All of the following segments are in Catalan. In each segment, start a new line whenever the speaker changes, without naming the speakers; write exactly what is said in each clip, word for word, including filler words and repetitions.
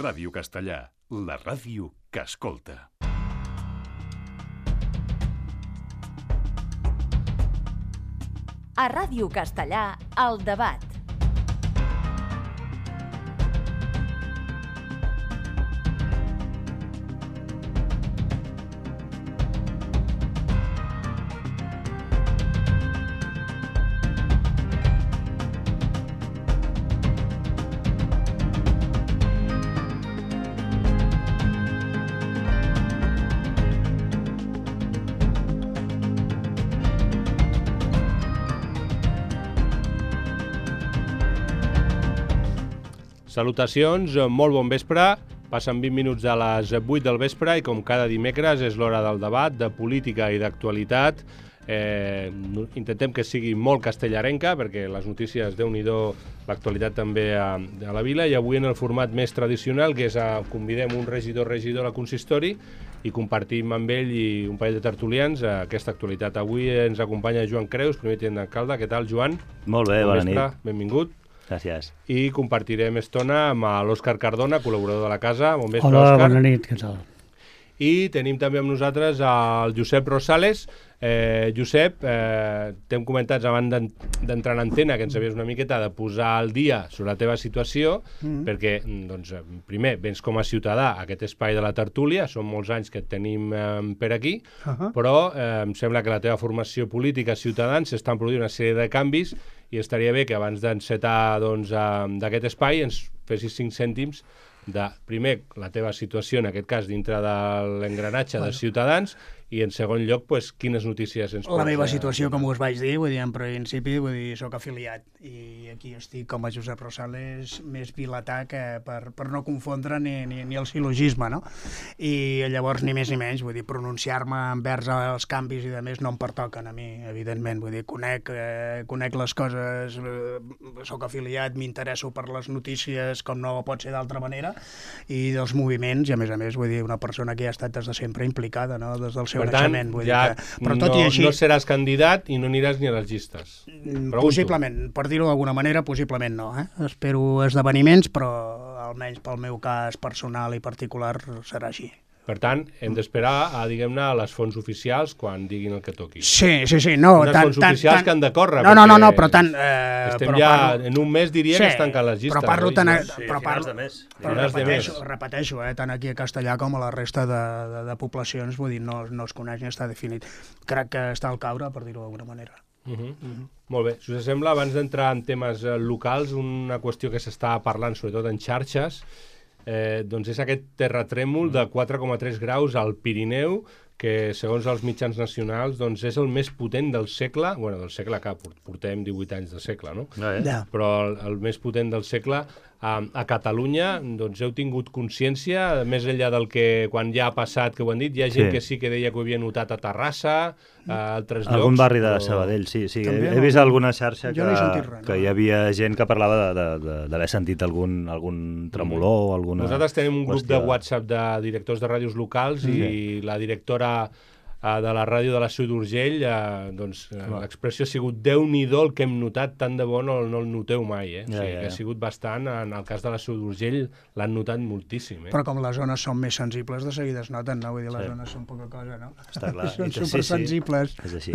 Ràdio Castellà, la ràdio que escolta.
A Ràdio Castellà, El Debat.
Salutacions, molt bon vespre. Passen vint minuts de les vuit del vespre i com cada dimecres és l'hora del debat, de política i d'actualitat. Eh, intentem que sigui molt castellarenca perquè les notícies, Déu-n'hi-do, l'actualitat també a, a la vila, i avui en el format més tradicional, que és a, convidem un regidor regidor al consistori i compartim amb ell i un parell de tertulians aquesta actualitat. Avui ens acompanya Joan Creus, primer tinent d'alcalde. Què tal, Joan?
Molt bé, bon bona
vespre,
nit.
Benvingut.
Gràcies.
I compartirem estona amb l'Òscar Cardona, col·laborador de la casa. Bon vespre,
Hola,
Òscar.
bona nit, què tal?
I tenim també amb nosaltres el Josep Rosales. Eh, Josep, eh, t'hem comentat abans d'entrar en antena que ens havies una miqueta de posar al dia sobre la teva situació, mm-hmm. perquè, doncs, primer, vens com a ciutadà a aquest espai de la tertúlia, són molts anys que et tenim eh, per aquí, uh-huh. però eh, em sembla que la teva formació política, Ciutadans, s'estan produint una sèrie de canvis i estaria bé que abans d'encetar doncs, d'aquest espai ens fessis cinc cèntims de, primer, la teva situació, en aquest cas, dintre de l'engranatge bueno. de Ciutadans, i en segon lloc, pues, quines notícies ens pots...
La meva situació, com us vaig dir, vull dir, en principi, vull dir, soc afiliat, i aquí estic com a Josep Rosales, més vilatà que per, per no confondre ni, ni, ni el silogisme, no? I llavors, ni més ni menys, vull dir, pronunciar-me envers els canvis i de més no em pertoquen a mi, evidentment, vull dir, conec, eh, conec les coses, eh, soc afiliat, m'interesso per les notícies, com no pot ser d'altra manera, i dels moviments, i a més a més, vull dir, una persona que ha estat des de sempre implicada, no?, des del seu
per tant,
vull
ja
dir que, però tot
no,
i així,
no seràs candidat i no aniràs ni a les llistes. Pregunto.
Possiblement, per dir-ho d'alguna manera, possiblement no. Eh? Espero esdeveniments, però almenys pel meu cas personal i particular serà així.
Per tant, hem d'esperar a, diguem-ne, a les fonts oficials quan diguin el que toqui.
Sí, sí, sí. No,
unes
tant,
fonts
tant,
oficials
tant,
que han de córrer.
No, no, no, no, però tant... Eh,
estem
però
ja,
parlo,
en un mes diria
sí,
que es tanquen les llistes.
Però parlo
no?
tant...
Sí,
però
finals
parlo,
de mes.
però
Finals de
repeteixo,
mes.
repeteixo eh, tant aquí a Castellà com a la resta de, de, de poblacions, vull dir, no, no es coneix ni està definit. Crec que està al caure, per dir-ho d'alguna manera.
Uh -huh. Uh -huh. Molt bé. Si us sembla, abans d'entrar en temes eh, locals, una qüestió que s'està parlant, sobretot en xarxes, Eh, doncs és aquest terratrèmol de quatre coma tres graus al Pirineu, que segons els mitjans nacionals doncs és el més potent del segle, bueno, del segle que portem divuit anys de segle, no?
No, eh?
Ja.
Però el, el més potent del segle. A, a Catalunya, doncs heu tingut consciència, més enllà del que quan ja ha passat, que ho han dit, hi ha gent
Sí.
que sí que deia que ho havia notat a Terrassa, a altres llocs.
Algun barri de
però...
Sabadell, sí. sí.
També,
He, he
no?
vist alguna xarxa
Jo no he sentit
que,
res, no?
que hi havia gent que parlava d'haver sentit algun, algun tremolor o alguna...
Nosaltres tenim un grup
qüestió.
de WhatsApp de directors de ràdios locals mm. i la directora eh, de la ràdio de la Seu d'Urgell, eh, doncs eh, l'expressió ha sigut Déu-n'hi-do el que hem notat, tant de bo no, no el noteu mai, eh? O sigui,
Ja, ja, ja.
que ha sigut bastant, en el cas de la Seu d'Urgell l'han notat moltíssim, eh?
Però com les zones són més sensibles, de seguida es noten, no? Vull dir, les
Sí.
zones són poca cosa, no?
Està clar.
Són
I- sí, sí.
supersensibles.
És així.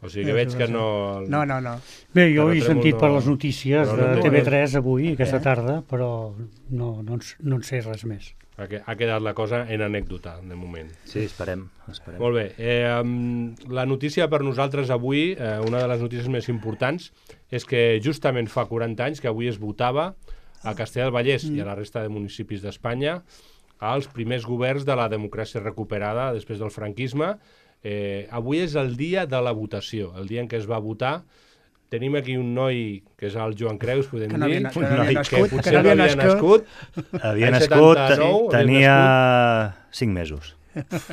O sigui que veig que no...
No, no, no.
Bé, jo he
Terratrèmol
sentit
no-
per les notícies
però
de
no-
T V tres avui, aquesta
Eh?
tarda, però no, no, en, no en sé res més.
Ha, que- ha quedat la cosa en anècdota, de moment.
Sí, esperem. esperem.
Molt bé. Eh, um, la notícia per nosaltres avui, eh, una de les notícies més importants, és que justament fa quaranta anys que avui es votava a Castellar del Vallès mm. i a la resta de municipis d'Espanya als primers governs de la democràcia recuperada després del franquisme. Eh, avui és el dia de la votació, el dia en què es va votar. Tenim aquí un noi, que és el Joan Creus, podem
Que no
dir,
havia, que
Un
no
noi
havia
que
nascut,
potser
que no havia nascut.
Havia
L'any
nascut,
setanta-nou, havia
tenia cinc mesos.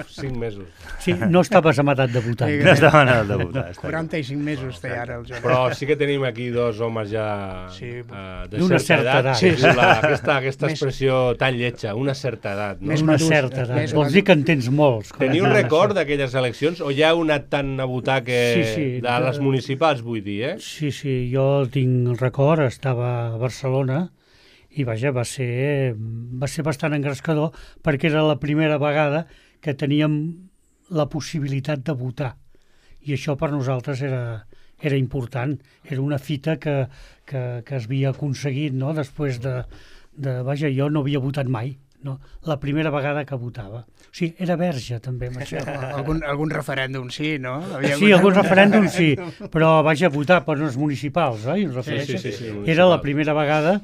cinc mesos.
Sí, no estaves en edat de votar.
Sí,
No estava en el de votar. està clar.
quaranta-i-cinc mesos té ara el Joan.
Però sí que tenim aquí dos homes ja
Sí.
uh, de
D'una
certa
certa
edat.
edat.
Sí, sí. La, aquesta aquesta
Més-
expressió tan lletja, una certa edat. No?
Més
Una
madurs,
certa edat.
més
Vols dir que en tens molts. com
Teniu un
una
record
certa-
d'aquelles eleccions o ja heu anat tant a votar que...
Sí, sí,
de
de-
les municipals, vull dir, eh?
Sí, sí, jo tinc record, estava a Barcelona i vaja, va ser, va ser bastant engrescador perquè era la primera vegada que teníem la possibilitat de votar. I això per nosaltres era, era important. Era una fita que, que, que es havia aconseguit, no? Després de, de... Vaja, jo no havia votat mai. No? La primera vegada que votava. O sigui, era verge, també.
algun, algun referèndum sí, no? Havia
sí, algun referèndum sí, però vaja, votar per uns municipals, oi?
Sí, sí, sí, sí,
era la primera vegada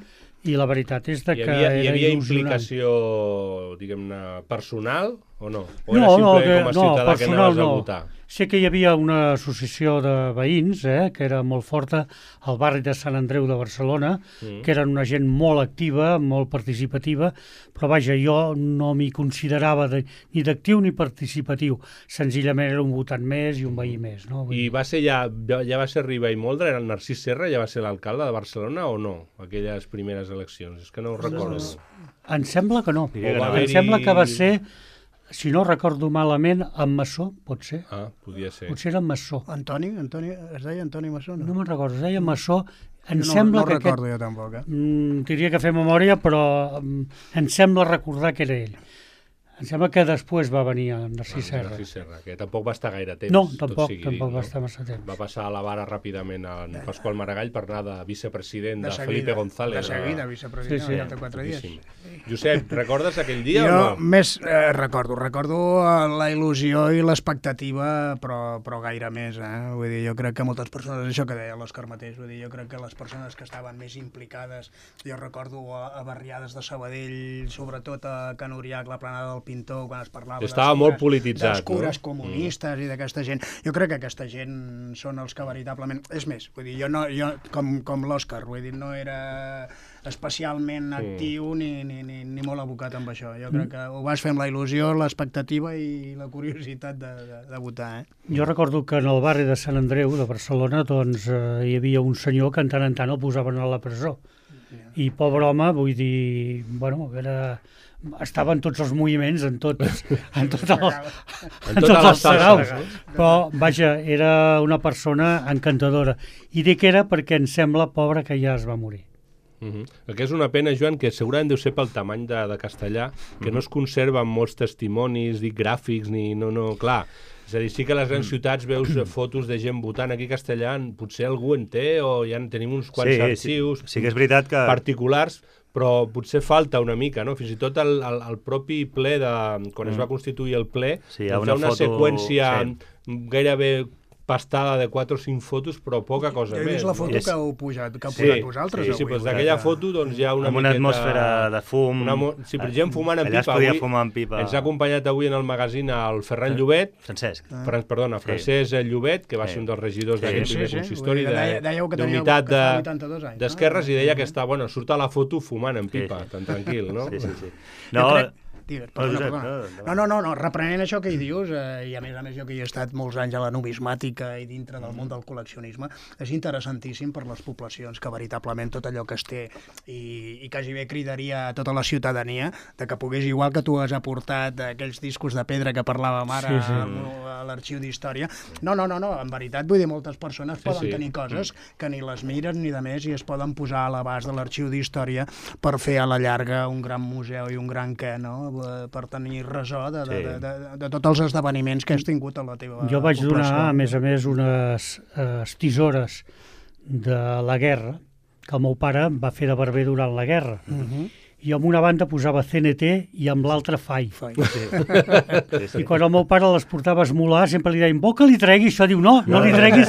i la veritat és de
hi
que
havia,
era
hi havia
il·lusionant.
implicació, diguem-ne, personal o no? O
No,
era
no,
simplement
que-
com a
no,
ciutadà que
personal
anaves a
no.
votar?
Sé que hi havia una associació de veïns, eh, que era molt forta, al barri de Sant Andreu de Barcelona,
Mm.
que eren una gent molt activa, molt participativa, però vaja, jo no m'hi considerava de, ni d'actiu ni participatiu. Senzillament era un votant més i un veí més. No? Vull
I
dir,
va ser ja, ja va ser Riba i Moldra, era el Narcís Serra, ja va ser l'alcalde de Barcelona o no, aquelles primeres eleccions? És que no ho recordo.
em sembla que no.
Diria que
O va
no.
Em
haver-hi-
sembla que va ser, si no recordo malament, en Massó, pot ser.
Ah, podia ser.
Potser era en Massó.
Antoni, Antoni, es deia Antoni Massó, no?
No me'n recordo, es deia Massó. Em
Jo no,
sembla
no
que
recordo
aquest...
jo tampoc, eh?
Mm, diria que fer memòria, però mm, em sembla recordar que era ell. Em sembla que després va venir en Narcís
Ah,
Serra.
Narcís Serra, que tampoc va estar gaire temps.
No,
tot
tampoc,
sigui
tampoc
dit,
va
no?
estar massa temps.
Va passar a la vara ràpidament a en Pasqual Maragall per anar de vicepresident de,
De seguida,
Felipe González.
de seguida,
a-
vicepresident,
Sí, sí.
al cap de quatre dies.
Boníssim. Josep, recordes aquell dia
Jo
o no?
més eh, recordo, recordo eh, la il·lusió i l'expectativa, però, però gaire més, eh? Vull dir, jo crec que moltes persones, això que deia l'Òscar mateix, vull dir, jo crec que les persones que estaven més implicades, jo recordo a, a barriades de Sabadell, sobretot a Can Uriac, la planada del Pintor, quan es parlava
Estava
dels
molt
cures-
polititzat,
dels cures
no?
comunistes i d'aquesta gent. Jo crec que aquesta gent són els que veritablement... És més, vull dir, jo, no, jo com, com l'Òscar, vull dir, no era especialment actiu ni, ni, ni, ni molt abocat amb això. Jo crec que ho vas fer amb la il·lusió, l'expectativa i la curiositat de, de, de votar, eh?
Jo recordo que en el barri de Sant Andreu de Barcelona doncs, eh, hi havia un senyor que en tant en tant el posaven a la presó. I pobre home, vull dir, bueno, era... estava en tots els moviments, en tots, en tot el, en
totes
tots
les
els saraus,
salses,
però vaja, era una persona encantadora. I dic era perquè em sembla, pobre, que ja es va morir.
Uh -huh. El que és una pena, Joan, que segurament deu ser pel tamany de, de Castellà, que no es conserven molts testimonis, dic, gràfics, ni... No, no, clar. És a dir, sí que a les grans ciutats veus fotos de gent votant. Aquí a Castellà potser algú en té o ja en tenim uns quants
Sí,
arxius
sí, sí que és veritat que...
particulars, però potser falta una mica, no? Fins i tot el, el, el propi ple, de, quan es va constituir el ple,
Sí, hi ha
doncs hi
una
ha una
foto-
seqüència
sí.
gairebé pastada de quatre o cinc fotos, però poca cosa
Jo he
més.
vist la foto
no?
És-
que heu pujat, que heu
Sí,
posat vosaltres
sí,
avui.
sí, doncs
vull dir
d'aquella
que-
foto doncs, hi ha una
amb una
miqueta...
atmosfera de fum.
Una mo... Sí, per gent fumant en
Allà es
pipa.
podia
Avui
fumar en pipa.
ens ha acompanyat avui en el magazín el Ferran Llobet,
Francesc.
Fran, perdona, Francesc Llobet, que va
Sí.
ser un dels regidors
Sí,
d'aquest
sí,
primer
sí.
consistori
Vull dir, deia- dèieu que teníeu-
d'unitat
que fa
de-
vuitanta-dos anys, no?
d'esquerres i deia que està, bueno, surt a la foto fumant en
Sí,
pipa,
sí.
tan tranquil, no?
Sí, sí, sí.
Jo
No,
crec- Digues, perdona,
Josep,
perdona.
no, endavant.
No, no, no, no, reprenent això que hi dius, eh, i a més a més jo que hi he estat molts anys a la numismàtica i dintre del món del col·leccionisme, és interessantíssim per les poblacions que veritablement tot allò que es té i, i quasi bé cridaria a tota la ciutadania de que pogués, igual que tu has aportat aquells discos de pedra que parlàvem ara
Sí, sí.
a, a l'arxiu d'història, no, no, no, no, en veritat, vull dir, moltes persones
Sí,
poden
sí.
tenir coses que ni les miren ni de més i es poden posar a l'abast de l'arxiu d'història per fer a la llarga un gran museu i un gran què, no? Per tenir resó de, de,
Sí.
de, de, de tots els esdeveniments que has tingut a la teva
Jo vaig
població.
donar, a més a més, unes eh, tisores de la guerra, que el meu pare va fer de barber durant la guerra.
Uh -huh.
I amb una banda posava C N T i amb l'altra F A I.
Sí, sí.
I quan el meu pare les portava a esmolar, sempre li deien, vol que li tregui? Això diu, no, no li treguis.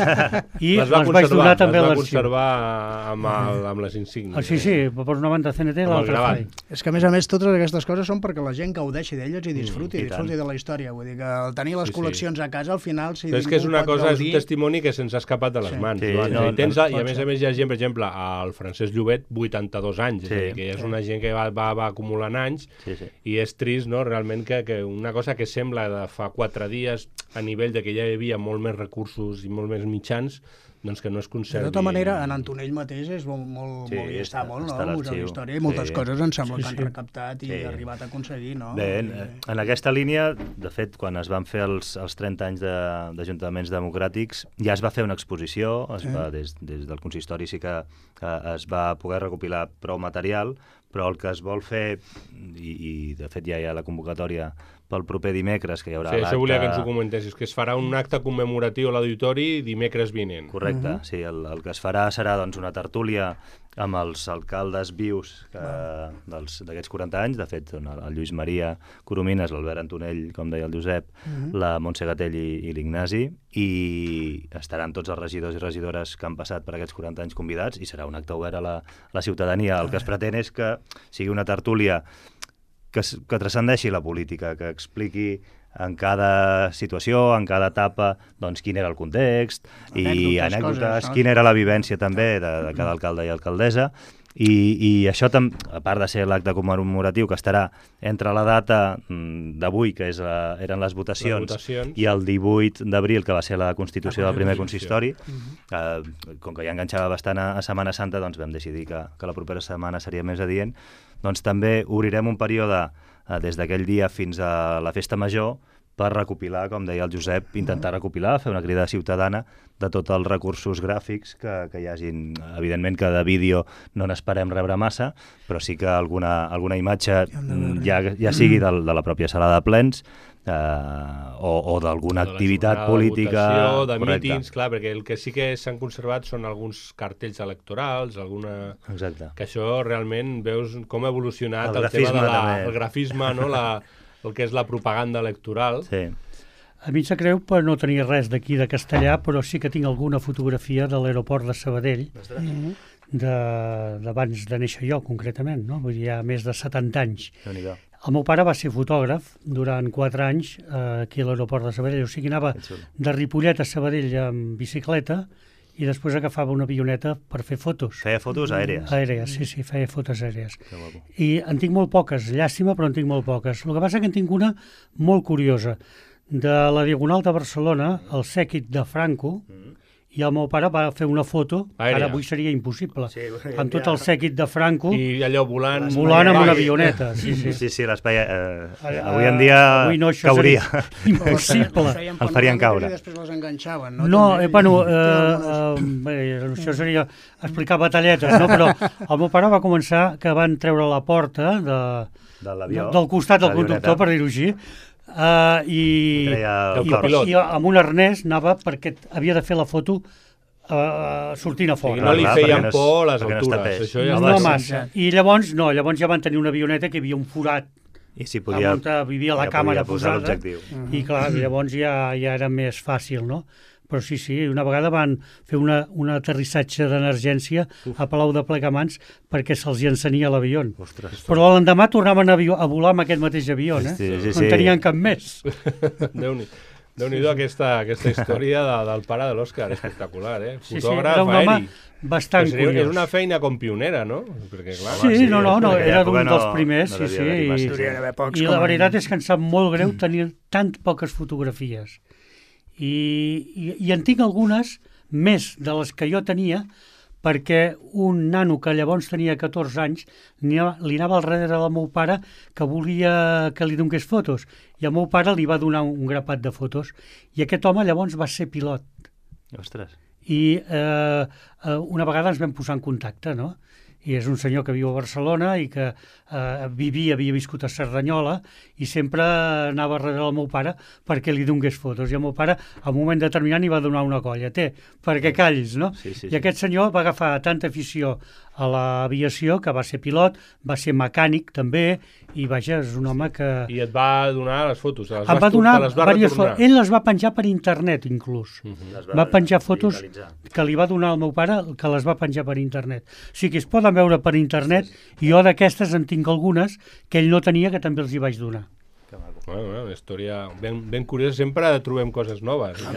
I
les va
les vaig donar
conservar,
també a
les va
l'arxiu.
conservar amb, el, amb les insígnies.
Ah, sí, sí, per una banda C N T i
Amb el
l'altra F A I.
gravat.
És que, a més a més, totes aquestes coses són perquè la gent gaudeixi d'elles i disfruti,
Mm, i
disfruti
tant.
de la història. Vull dir que al tenir les
Sí, sí.
col·leccions a casa, al final, si
Però és que és
ningú
una
pot
cosa, és un
gaudir-
testimoni que se'ns ha escapat de les
Sí.
mans.
Sí,
Joan.
no,
És a dir, tens,
no,
I a
pot
més
ser.
a més hi ha gent, per exemple, el Francesc Llobet, vuitanta-dos anys, és
Sí.
a dir, que és una gent que va, va, va acumulant anys
Sí, sí.
i és trist, no?, realment que, que una cosa que sembla de fa quatre dies a nivell de que ja hi havia molt més recursos i molt més mitjans, doncs que no es
De
conservi...
tota manera, en Antonell mateix és molt, molt,
Sí,
molt hi està
està-
molt,
està a
no? El Museu
l'arxiu.
d'Història, i moltes
Sí.
coses em sembla
Sí,
que han
sí.
recaptat i
Sí.
arribat a aconseguir, no?
Bé,
I-
en, en aquesta línia, de fet, quan es van fer els, els trenta anys de- d'ajuntaments democràtics, ja es va fer una exposició, es va, des, des del consistori sí que, que es va poder recopilar prou material, però el que es vol fer, i, i de fet ja hi ha la convocatòria pel proper dimecres, que hi haurà
Sí, això volia que ens ho
l'acte...
comentessis, que es farà un acte commemoratiu a l'auditori dimecres vinent.
Correcte, uh -huh. sí, el, el que es farà serà doncs, una tertúlia amb els alcaldes vius que, dels- d'aquests quaranta anys, de fet, el, el Lluís Maria Coromines, l'Albert Antonell, com deia el Josep, uh -huh. la Montse Gatell i, i l'Ignasi, i estaran tots els regidors i regidores que han passat per aquests quaranta anys convidats, i serà un acte obert a la, a la ciutadania. El que es pretén és que sigui una tertúlia que, s- que transcendeixi la política, que expliqui en cada situació, en cada etapa, doncs quin era el context, i
Anècdotes,
anècdotes,
coses, no?
quina era la vivència també de, de cada alcalde i alcaldessa, i, i això, tam, a part de ser l'acte commemoratiu, que estarà entre la data mm, d'avui, que és la, eren les votacions,
Les votacions.
i el divuit d'abril, que va ser la constitució
La
del primer
constitució.
consistori, eh, com que ja enganxava bastant a, a Setmana Santa, doncs vam decidir que, que la propera setmana seria més adient. Doncs també obrirem un període eh, des d'aquell dia fins a la festa major per recopilar, com deia el Josep, intentar recopilar, fer una crida ciutadana de tots els recursos gràfics que, que hi hagin. Evidentment que de vídeo no n'esperem rebre massa, però sí que alguna, alguna imatge, mm, ja, ja sigui de, de la pròpia sala de plens, eh, o, o d'alguna
De la
activitat
jornada
política...
De votació, de
correcte.
mítings, clar, perquè el que sí que s'han conservat són alguns cartells electorals, alguna...
Exacte.
Que això realment veus com ha evolucionat
El
el, tema
grafisme
de la,
també.
el grafisme, no? la, el que és la propaganda electoral.
Sí.
A mi em sap greu per no tenir res d'aquí de Castellà, però sí que tinc alguna fotografia de l'aeroport de Sabadell, de- d'abans de néixer jo, concretament, no? Vull dir, hi ha més de setanta anys.
Déu-n'hi-do.
El meu pare va ser fotògraf durant quatre anys eh, aquí a l'aeroport de Sabadell, o sigui, anava
Que xulo.
de Ripollet a Sabadell amb bicicleta i després agafava una avioneta per fer fotos.
Feia fotos aèries.
Aèries, sí, sí, feia fotos aèries.
Que guapo.
I en tinc molt poques, llàstima, però en tinc molt poques. El que passa que en tinc una molt curiosa. De la Diagonal de Barcelona, el sèquit de Franco, i el meu pare va fer una foto, que
Aèria.
ara avui seria impossible,
Sí,
amb tot el sèquit de Franco,
I allò volant...
volant amb
Vai.
una avioneta. Sí, sí.
Sí, sí, l'espai... Eh,
Eh,
avui en dia
avui no, això
cauria.
seria impossible.
Feien
El farien caure.
I després les enganxaven, no?
No,
També.
eh, bueno,
Té
eh,
algunes-
eh, bé, això seria explicar batalletes, no? Però el meu pare va començar que van treure la porta de,
De l'avió.
del costat del
l'avioneta.
conductor, per dir-ho així, uh, i,
Treia el
i,
copilot.
i amb un arnès anava perquè havia de fer la foto uh, sortint a
O sigui,
fora.
no li
Clar,
feien
perquè no es-
por les
perquè no es
altures.
tapés.
Això ja
Home,
No
sí.
massa. I llavors, no, llavors ja van tenir una avioneta que hi havia un forat
I si podia,
on vivia la
ja
càmera
podia posar
posada,
l'objectiu.
i clar, llavors ja, ja era més fàcil, no? Però sí, sí, una vegada van fer una, un aterrissatge d'emergència a Palau de Plegamans perquè se'ls hi encenia l'avió.
Ostres.
Però l'endemà tornaven a, avió, a volar amb aquest mateix avió, eh?
Sí, sí,
no
sí.
en tenien cap més.
Déu-n'hi Déu-n'hi-do aquesta, aquesta història de, del pare de l'Òscar, espectacular, eh?
Sí, sí,
Fotògraf
era un home
aeri.
bastant
Però seria-
curiós.
És una feina com pionera, no? Perquè, clar,
Sí,
sí,
no, no, no,
en aquella
era
època
d'un dels
no-
primers,
no
sí,
devia
sí.
haver-hi massa
I,
Hauria d'haver pocs
I
com
la
a
veritat
mínim.
és que em sap molt greu tenir tant poques fotografies. I, i, i en tinc algunes més de les que jo tenia, perquè un nano que llavors tenia catorze anys li anava, li anava al darrere del meu pare que volia que li donés fotos, i el meu pare li va donar un grapat de fotos, i aquest home llavors va ser pilot.
Ostres.
I eh, eh, una vegada ens vam posar en contacte, no? I és un senyor que viu a Barcelona i que eh, vivia, havia viscut a Cerdanyola, i sempre anava darrere del meu pare perquè li donés fotos. I el meu pare, a un moment determinat, li va donar una colla. Té, perquè callis, no?
Sí, sí,
I
sí.
aquest senyor va agafar tanta afició a l'aviació que va ser pilot, va ser mecànic també, i vaja, és un home que...
I et va donar les fotos, te les
Em
vas
va
tu-
donar
te les va
diverses
retornar.
fotos. Ell les va penjar per internet, inclús.
Les
Va penjar fotos
digitalitzar.
que li va donar al meu pare, que les va penjar per internet. O sigui que es poden veure per internet, i jo d'aquestes en tinc algunes que ell no tenia, que també els hi vaig donar.
Que maco.
Bueno, bueno, una història ben, ben curiosa. Sempre trobem coses noves en,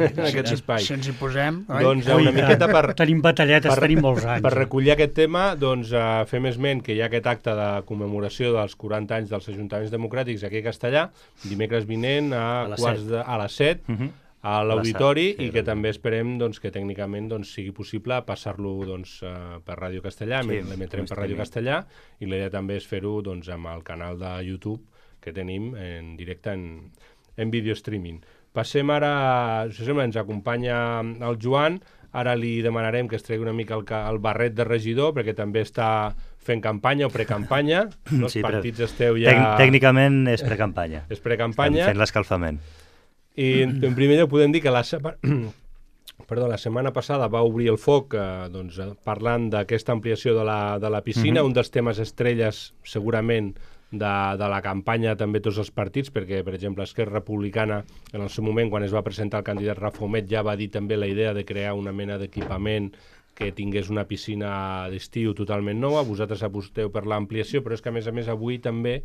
en aquest espai.
Si ens hi posem... oi?
Doncs
Ui,
una miqueta per,
Tenim batalletes,
per-
tenim molts anys.
per recollir aquest tema, doncs uh, fem esment que hi ha aquest acte de commemoració dels quaranta anys dels Ajuntaments Democràtics aquí a Castellà, dimecres vinent a,
A les
quarts
set.
de, a les set,
Mhm.
a l'auditori
sí,
i que també esperem doncs, que tècnicament doncs, sigui possible passar-lo doncs, uh, per Ràdio Castellà, sí, l'emetrem per Ràdio Castellà, i la idea també és fer-ho doncs, amb el canal de YouTube que tenim en directe en, en video streaming. Passem ara, si sembla, ens acompanya el Joan, ara li demanarem que es tregui una mica el, el barret de regidor, perquè també està fent campanya o precampanya, no? Els
sí,
partits esteu ja...
Tec tècnicament és precampanya.
És precampanya.
Estem fent l'escalfament.
I en, en primer lloc podem dir que la, sema... Perdó, la setmana passada va obrir el foc eh, doncs, parlant d'aquesta ampliació de la, de la piscina, mm-hmm. un dels temes estrelles segurament de, de la campanya també tots els partits, perquè per exemple Esquerra Republicana en el seu moment quan es va presentar el candidat Rafa Homet ja va dir també la idea de crear una mena d'equipament que tingués una piscina d'estiu totalment nova. Vosaltres aposteu per l'ampliació, però és que a més a més avui també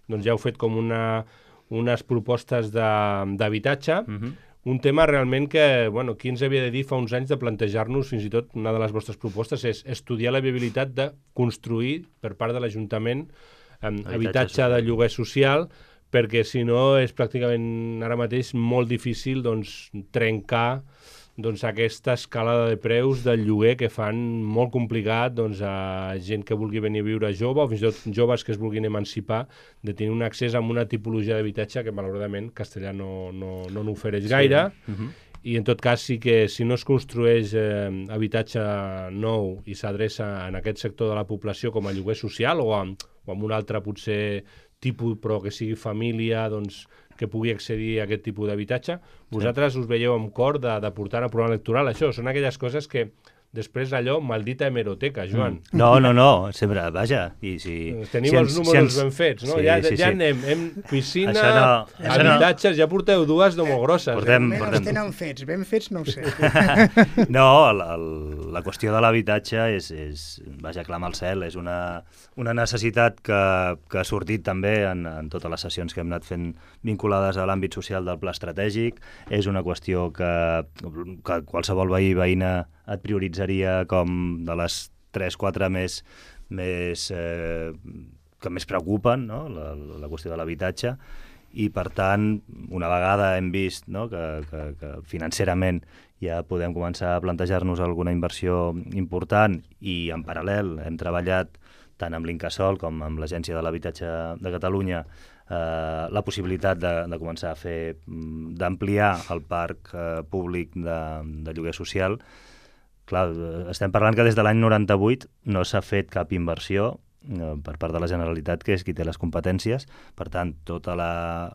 doncs, ja heu fet com una... unes propostes d'habitatge, uh-huh. un tema realment que, bueno, qui ens havia de dir fa uns anys de plantejar-nos, fins i tot una de les vostres propostes és estudiar la viabilitat de construir per part de l'Ajuntament eh, habitatge de lloguer social, perquè si no és pràcticament ara mateix molt difícil doncs, trencar doncs, aquesta escalada de preus del lloguer que fan molt complicat doncs, a gent que vulgui venir a viure jove o fins i tot joves que es vulguin emancipar de tenir un accés a una tipologia d'habitatge que malauradament Castellà no, no, no n'ofereix gaire. Sí. Uh-huh. I en tot cas sí que si no es construeix eh, habitatge nou i s'adreça en aquest sector de la població com a lloguer social o amb, o amb un altre potser tipus però que sigui família doncs, que pugui accedir a aquest tipus d'habitatge, vosaltres us veieu amb cor de, de portar a programa electoral. Això són aquelles coses que després allò, maldita hemeroteca, Joan.
Mm. No, no, no, sempre, vaja. I si,
Tenim
si
els
ens,
números
si ens...
ben fets, no?
Sí,
ja
sí,
ja
sí.
anem, hem piscina,
això no,
habitatges,
això no.
ja porteu dues de molt grosses.
Portem,
eh?
portem...
Els tenen fets, ben fets no ho sé.
No, la, la qüestió de l'habitatge és, és, vaja, clama al cel, és una, una necessitat que, que ha sortit també en, en totes les sessions que hem anat fent vinculades a l'àmbit social del pla estratègic, és una qüestió que, que qualsevol veí veïna et prioritzaria com de les tres quatre més, més eh, que més preocupen, no? la, la qüestió de l'habitatge, i per tant, una vegada hem vist no? que, que, que financerament ja podem començar a plantejar-nos alguna inversió important i en paral·lel hem treballat tant amb l'Incasòl com amb l'Agència de l'Habitatge de Catalunya eh, la possibilitat de, de començar a fer, d'ampliar el parc eh, públic de, de lloguer social. Clar, estem parlant que des de l'any noranta-vuit no s'ha fet cap inversió eh, per part de la Generalitat, que és qui té les competències. Per tant, tota la,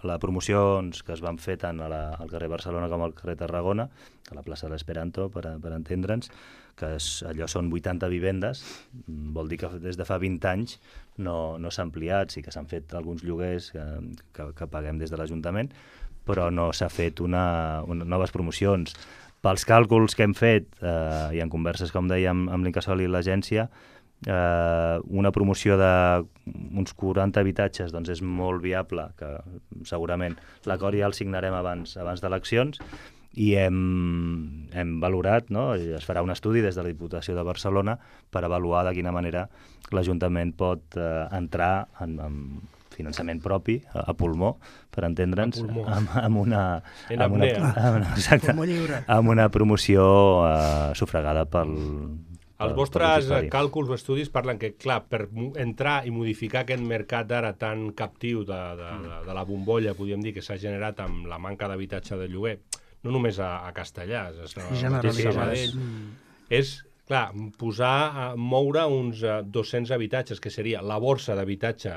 la promocions que es van fer tant a la, al carrer Barcelona com al carrer Tarragona, a la plaça de l'Esperanto, per, per entendre'ns, que és, allò són vuitanta vivendes, vol dir que des de fa vint anys no, no s'ha ampliat, sí que s'han fet alguns lloguers que, que, que paguem des de l'Ajuntament, però no s'ha fet una, una, noves promocions. Pels càlculs que hem fet, eh, i en converses, com dèiem, amb l'Incasòl i l'agència, eh, una promoció d'uns quaranta habitatges doncs és molt viable, que segurament l'acord ja el signarem abans, abans d'eleccions, i hem, hem valorat, no? Es farà un estudi des de la Diputació de Barcelona per avaluar de quina manera l'Ajuntament pot eh, entrar en, en finançament propi, a, a pulmó, per entendre'ns, amb, amb una...
En
amb una, amb, exacte, amb una promoció eh, sufragada pel...
Els vostres càlculs o estudis parlen que, clar, per entrar i modificar aquest mercat ara tan captiu de, de, de, de la bombolla, podríem dir, que s'ha generat amb la manca d'habitatge de lloguer, no només a, a Castellà, és a mateix Sabadell, és... Clar, posar, moure uns dos-cents habitatges, que seria la borsa d'habitatge,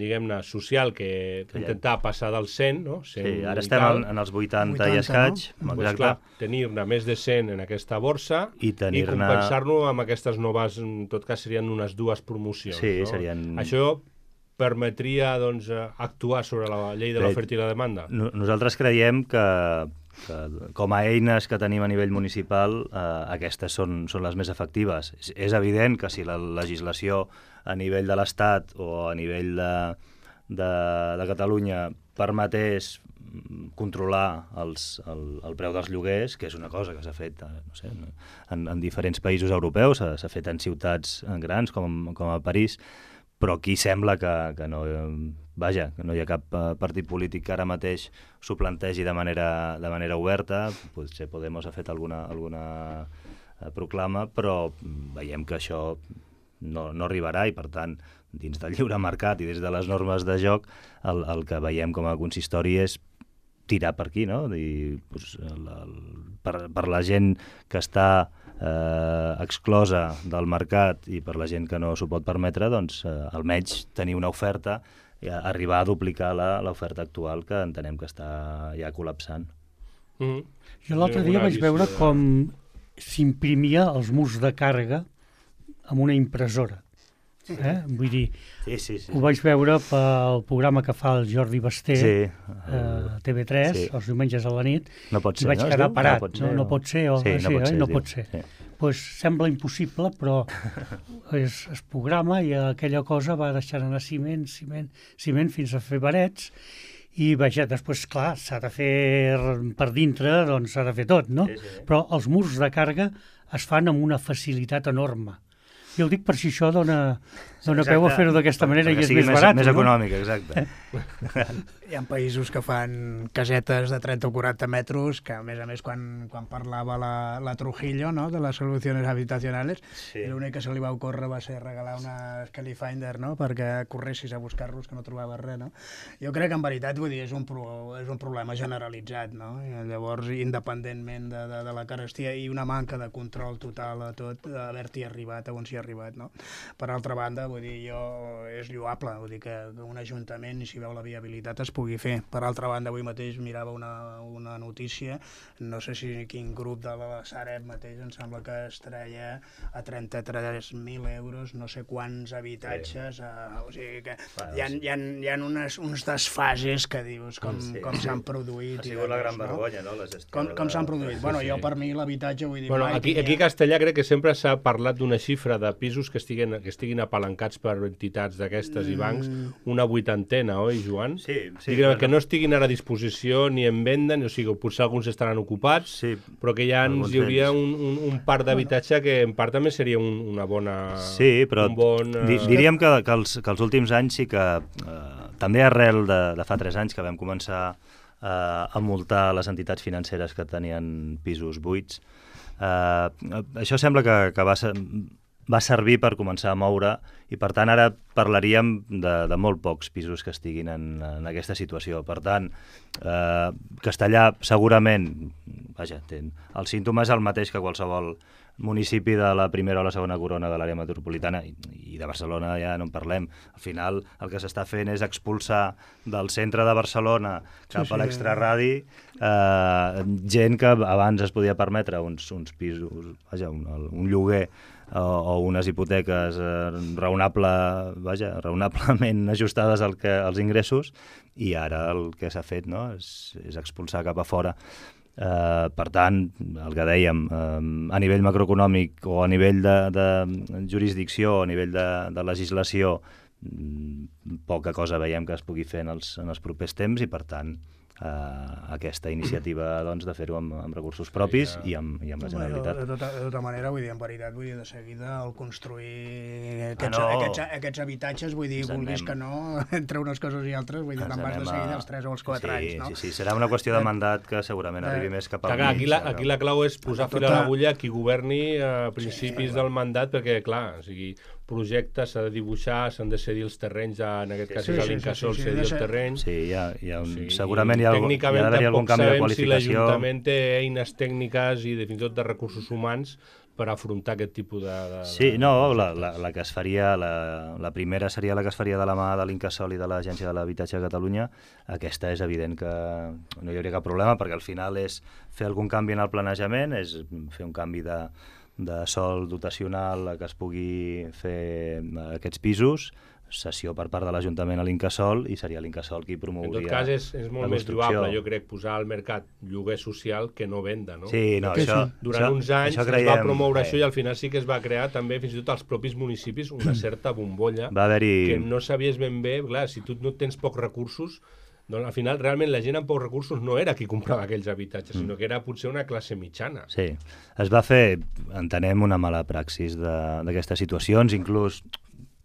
diguem-ne, social, que, que intentar ja... passar del cent, no? cent
sí, ara estem en, en els vuitanta, vuitanta i escaig.
No? Pues, clar, tenir-ne més de cent en aquesta borsa i, i compensar-lo amb aquestes noves, en tot cas serien unes dues promocions.
Sí,
no?
serien...
Això permetria doncs, actuar sobre la llei de l'oferta i la demanda?
No, nosaltres creiem que, que com a eines que tenim a nivell municipal, eh, aquestes són, són les més efectives. És, és evident que si la legislació a nivell de l'Estat o a nivell de, de, de Catalunya permetés controlar els, el, el preu dels lloguers, que és una cosa que s'ha fet no sé, en, en diferents països europeus, s'ha fet en ciutats grans com, com a París, però aquí sembla que, que no... Vaja, que no hi ha cap uh, partit polític que ara mateix s'ho plantegi de manera, de manera oberta. Potser Podemos ha fet alguna, alguna uh, proclama, però veiem que això no, no arribarà i, per tant, dins del lliure mercat i des de les normes de joc, el, el que veiem com a consistori és tirar per aquí, no? I, doncs, el, el, per, per la gent que està eh, exclosa del mercat i per la gent que no s'ho pot permetre, doncs eh, almenys tenir una oferta i arribar a duplicar l'oferta actual, que entenem que està ja col·lapsant.
Mm-hmm. Jo l'altre dia vaig veure de... com s'imprimia els murs de càrrega amb una impressora. Eh? Vull dir,
sí, sí, sí.
Ho vaig veure pel programa que fa el Jordi Basté
sí,
a uh, T V tres, sí. Els diumenges a la nit,
no pot ser,
i vaig
no?
quedar parat.
No pot ser,
no, no pot ser, o,
sí, no,
sí,
pot ser,
eh? no pot ser.
Sí.
Pues sembla impossible, però es, es programa i aquella cosa va deixant anar ciment, ciment, ciment fins a fer varets, i vaja, després, clar, s'ha de fer per dintre, doncs s'ha de fer tot, no? Sí, sí. Però els murs de càrrega es fan amb una facilitat enorme. Jo ho dic per si això dona, dona peu a fer-ho d'aquesta manera i és més, més barat.
Més
no?
econòmic, exacte.
Hi ha països que fan casetes de trenta o quaranta metres, que a més a més quan, quan parlava la, la Trujillo, no?, de les solucions habitacionals, sí. L'únic que se li va ocórrer va ser regalar una Skelly Finder, no?, perquè corressis a buscar-los, que no trobaves res, no? Jo crec que en veritat, vull dir, és un, pro, és un problema generalitzat, no? I llavors, independentment de, de, de la carestia i una manca de control total a tot, d'haver-t'hi arribat a on s'hi ha arribat, no? Per altra banda, vull dir, jo, és lloable, vull dir que un ajuntament, si veu la viabilitat, es pugui fer. Per altra banda, avui mateix mirava una, una notícia, no sé si quin grup de la Sareb mateix, em sembla que es treia a trenta-tres mil euros, no sé quants habitatges, sí. a, o sigui que bueno, hi ha, hi ha, hi ha unes, uns desfases que dius com, sí. com s'han produït.
Ha sigut la gran vergonya, no? La gestió
com com s'han produït. Sí, bueno, sí. Jo per mi l'habitatge, vull dir...
Bueno, aquí, aquí a Castellà crec que sempre s'ha parlat d'una xifra de pisos que estiguin, que estiguin apalancats per entitats d'aquestes mm. i bancs, una vuitantena, oi, Joan?
Sí, sí.
Diguem, que no estiguin ara a disposició ni en venda, o sigui, potser alguns estaran ocupats, sí, però que ja ens hi hauria un, un, un parc d'habitatge que en part també seria un, una bona...
Sí, però un bon, uh... diríem que, que, els, que els últims anys sí que, uh, també arrel de, de fa tres anys que vam començar uh, a multar les entitats financeres que tenien pisos buits, uh, això sembla que, que va ser... va servir per començar a moure i, per tant, ara parlaríem de, de molt pocs pisos que estiguin en, en aquesta situació. Per tant, eh, Castellà segurament, vaja, ten, el símptoma és el mateix que qualsevol municipi de la primera o la segona corona de l'àrea metropolitana i, i de Barcelona ja no en parlem. Al final el que s'està fent és expulsar del centre de Barcelona cap sí, sí. a l'extraradi eh, gent que abans es podia permetre uns, uns pisos, vaja, un, un lloguer o, o unes hipoteques eh, raonable, vaja, raonablement ajustades al que, als ingressos, i ara el que s'ha fet, no?, és, és expulsar cap a fora. Uh, per tant, el que dèiem, uh, a nivell macroeconòmic o a nivell de, de jurisdicció o a nivell de, de legislació, poca cosa veiem que es pugui fer en els, en els propers temps, i per tant uh, aquesta iniciativa doncs, de fer-ho amb, amb recursos propis i amb, i amb la Generalitat.
De tota, de tota manera, vull dir, en veritat, vull dir, de seguida el construir aquests, ah, no. aquests, aquests habitatges, vull dir, vulguis que no, entre unes coses i altres, vull dir, te'n vas de seguida els tres o els quatre
sí,
anys, no?
Sí, sí, serà una qüestió de mandat que segurament eh, arribi més cap al mig.
Aquí la, aquí la clau és posar tota... fil a l'agulla a qui governi a principis sí, sí, del mandat, perquè, clar, o sigui, projectes s'ha de dibuixar, s'han de cedir els terrenys, en aquest cas sí, és l'Incasòl sí, sí, sí, cedir sí, el terreny.
Sí, hi ha, hi ha un, sí, segurament hi ha, hi ha d'haver algun canvi de qualificació.
Si l'Ajuntament té eines tècniques i fins i tot de recursos humans per afrontar aquest tipus de... de
sí, no, la, la, la que es faria, la, la primera seria la que es faria de la mà de l'Incasòl i de l'Agència de l'Habitatge de Catalunya. Aquesta és evident que no hi hauria cap problema, perquè al final és fer algun canvi en el planejament, és fer un canvi de de sòl dotacional que es pugui fer aquests pisos, cessió per part de l'Ajuntament a l'Incasòl, i seria l'Incasòl qui promouria.
En tot cas, és, és molt més lloable, jo crec, posar al mercat lloguer social que no venda, no?
Sí, no, això...
Durant
això,
uns anys creiem, es va promoure eh. això i al final sí que es va crear també, fins i tot als propis municipis, una certa bombolla
va haver-hi...
que no sabies ben bé, clar, si tu no tens pocs recursos, doncs al final realment la gent amb pocs recursos no era qui comprava aquells habitatges, mm. sinó que era potser una classe mitjana.
Sí, es va fer, entenem, una mala praxis d'aquestes situacions, inclús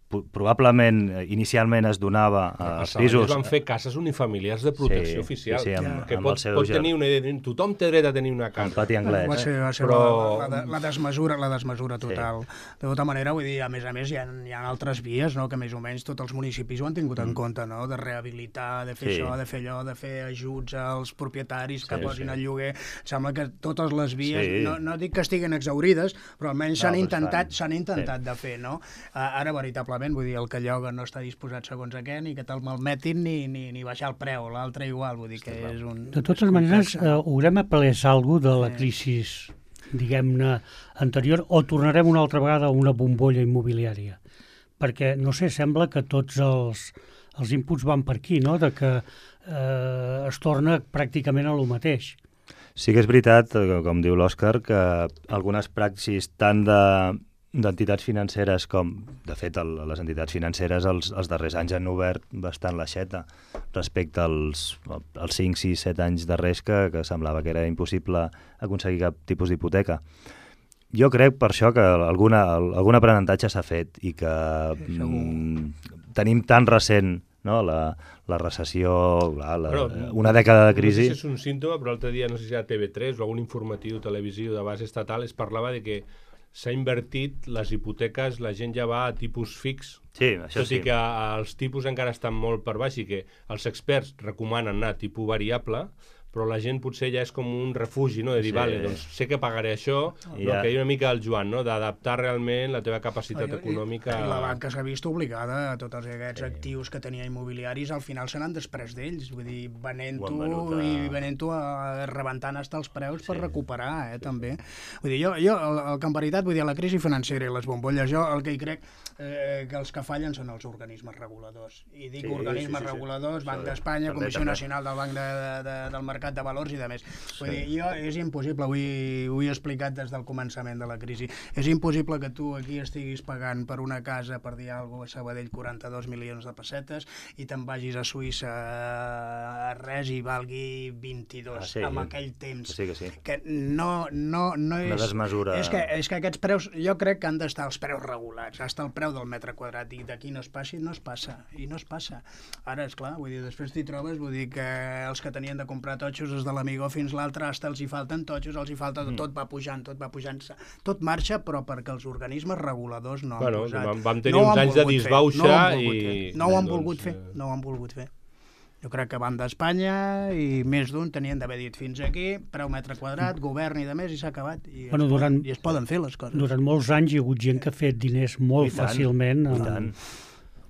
probablement inicialment es donava als pisos...
Es van fer cases unifamiliars de protecció
sí,
oficial,
sí, sí, amb,
que
amb
pot, pot tenir una idea, tothom té dret a tenir una casa.
Un pati anglès.
Va ser, va ser
Però...
la, la, la, desmesura, la desmesura total. Sí. De tota manera, vull dir, a més a més, hi ha, hi ha altres vies, no?, que més o menys tots els municipis ho han tingut mm. en compte, no?, de rehabilitar, de fer sí. això, de fer allò, de fer ajuts als propietaris que sí, posin sí. al lloguer. Sembla que totes les vies, sí. no, no dic que estiguen exaurides, però almenys s'han no, intentat, s'han intentat sí. de fer, no? Ara, veritablement, vull dir, el que lloga no està disposat segons a què, ni que te'l malmetin, ni, ni, ni baixar el preu, l'altre igual, vull dir que és un...
De totes maneres, eh, haurem après alguna cosa de la crisi, diguem-ne, anterior, o tornarem una altra vegada a una bombolla immobiliària? Perquè, no sé, sembla que tots els, els inputs van per aquí, no?, de que eh, es torna pràcticament a lo mateix.
Sí que és veritat, com diu l'Òscar, que algunes praxis tant de d'entitats financeres com, de fet, el, les entitats financeres els, els darrers anys han obert bastant l'aixeta respecte als, als cinc, sis, set anys darrers que, que semblava que era impossible aconseguir cap tipus d'hipoteca. Jo crec per això que alguna, algun aprenentatge s'ha fet i que mm, tenim tan recent, no?, la, la recessió, la, la, però, una dècada de crisi...
No sé si és un símptoma, però l'altre dia, no sé si era T V tres o algun informatiu televisiu de base estatal, es parlava de que s'ha invertit les hipoteques, la gent ja va a tipus fix,
sí, això
tot i
sí.
que els tipus encara estan molt per baix i que els experts recomanen anar a tipus variable, però la gent potser ja és com un refugi, no?, de dir, sí. vale, doncs sé que pagaré això, I però ja. que hi ha una mica el Joan, no?, d'adaptar realment la teva capacitat I, econòmica...
I la banca s'ha vist obligada a tots aquests sí. actius que tenia immobiliaris, al final se n'han després d'ells, vull dir, venent-ho i venent-ho rebentant hasta els preus sí. per recuperar, eh, també. Vull dir, jo, jo el, el que en veritat, vull dir, la crisi financera i les bombolles, jo el que hi crec eh, que els que fallen són els organismes reguladors. I dic sí, organismes sí, sí, reguladors, sí. Banc d'Espanya, Comissió també. Nacional del Banc de, de, de, del Mercat de valors i de més. Vull dir, jo, és impossible, avui ho he explicat des del començament de la crisi, és impossible que tu aquí estiguis pagant per una casa, per dir alguna cosa, a Sabadell quaranta-dos milions de pessetes i te'n vagis a Suïssa a res i valgui vint-i-dos ah, sí, amb aquell temps.
Sí, que sí.
Que no, no, no és...
Una desmesura...
És que, és que aquests preus, jo crec que han d'estar els preus regulats, hasta el preu del metre quadrat, i d'aquí no es passi, no es passa, i no es passa. Ara, esclar, vull dir, després t'hi trobes, vull dir que els que tenien de comprar totxos des de l'Amigó fins l'altre, hasta els hi falten totxos, els hi falta, mm. tot va pujant, tot va pujant, tot marxa, però perquè els organismes reguladors no han
bueno,
posat.
Vam, vam tenir no uns anys de disbauxa
no
i...
No ho han
doncs,
volgut fer, no ho han volgut fer. Jo crec que van d'Espanya i més d'un tenien d'haver dit fins aquí, preu metre quadrat, govern i de més, i s'ha acabat. I,
bueno,
es
durant,
poden, I es poden fer les coses.
Durant molts anys hi ha hagut gent que ha fet diners molt
I tant,
fàcilment.
I tant.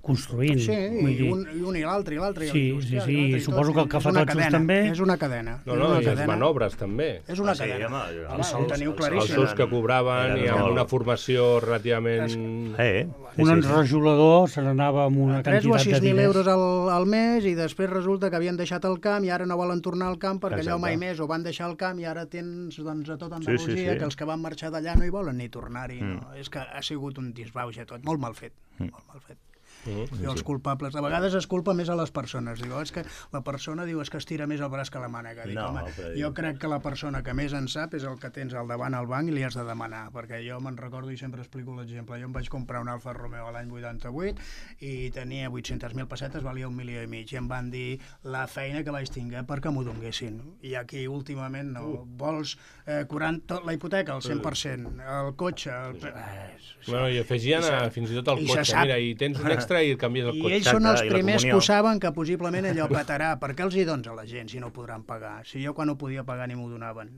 Construint.
Sí, i un, i un i l'altre, i l'altre.
Sí, sí, sí, i suposo que el que fa totxos també...
És una cadena.
No, no, i les manobres també.
És una
ah, sí,
cadena.
Home,
home, ho teniu claríssim.
Els sous que cobraven i amb una formació relativament...
Eh,
un enrajolador se n'anava amb una quantitat de diners.
tres o sis mil euros al, al mes i després resulta que havien deixat el camp i ara no volen tornar al camp perquè allò mai més ho van deixar al camp i ara tens doncs, a tot Andalusia sí, sí, sí. que els que van marxar d'allà no hi volen ni tornar-hi. Mm. No? És que ha sigut un disbauxa tot, molt mal fet, mm. molt mal fet. Mm, I els culpables. De vegades es culpa més a les persones. Diu, és que la persona diu és que es tira més el braç que la mànega. Dic, no, home, jo crec que la persona que més en sap és el que tens al davant al banc i li has de demanar, perquè jo me'n recordo i sempre explico l'exemple. Jo em vaig comprar un Alfa Romeo l'any vuitanta-vuit i tenia vuit-centes mil pessetes, valia un milió i mig, i em van dir la feina que vaig tinguer perquè m'ho donguessin. I aquí últimament no. Uh. Vols eh, quaranta, la hipoteca al cent per cent, el cotxe... El... Eh,
bueno, i afegien a, fins i tot el cotxe. Mira, i tens un extra i canvies el
I
cotxe.
ells són els primers que ho saben que possiblement allò petarà. Per què els hi dones a la gent si no ho podran pagar? Si jo quan ho podia pagar ni m'ho donaven.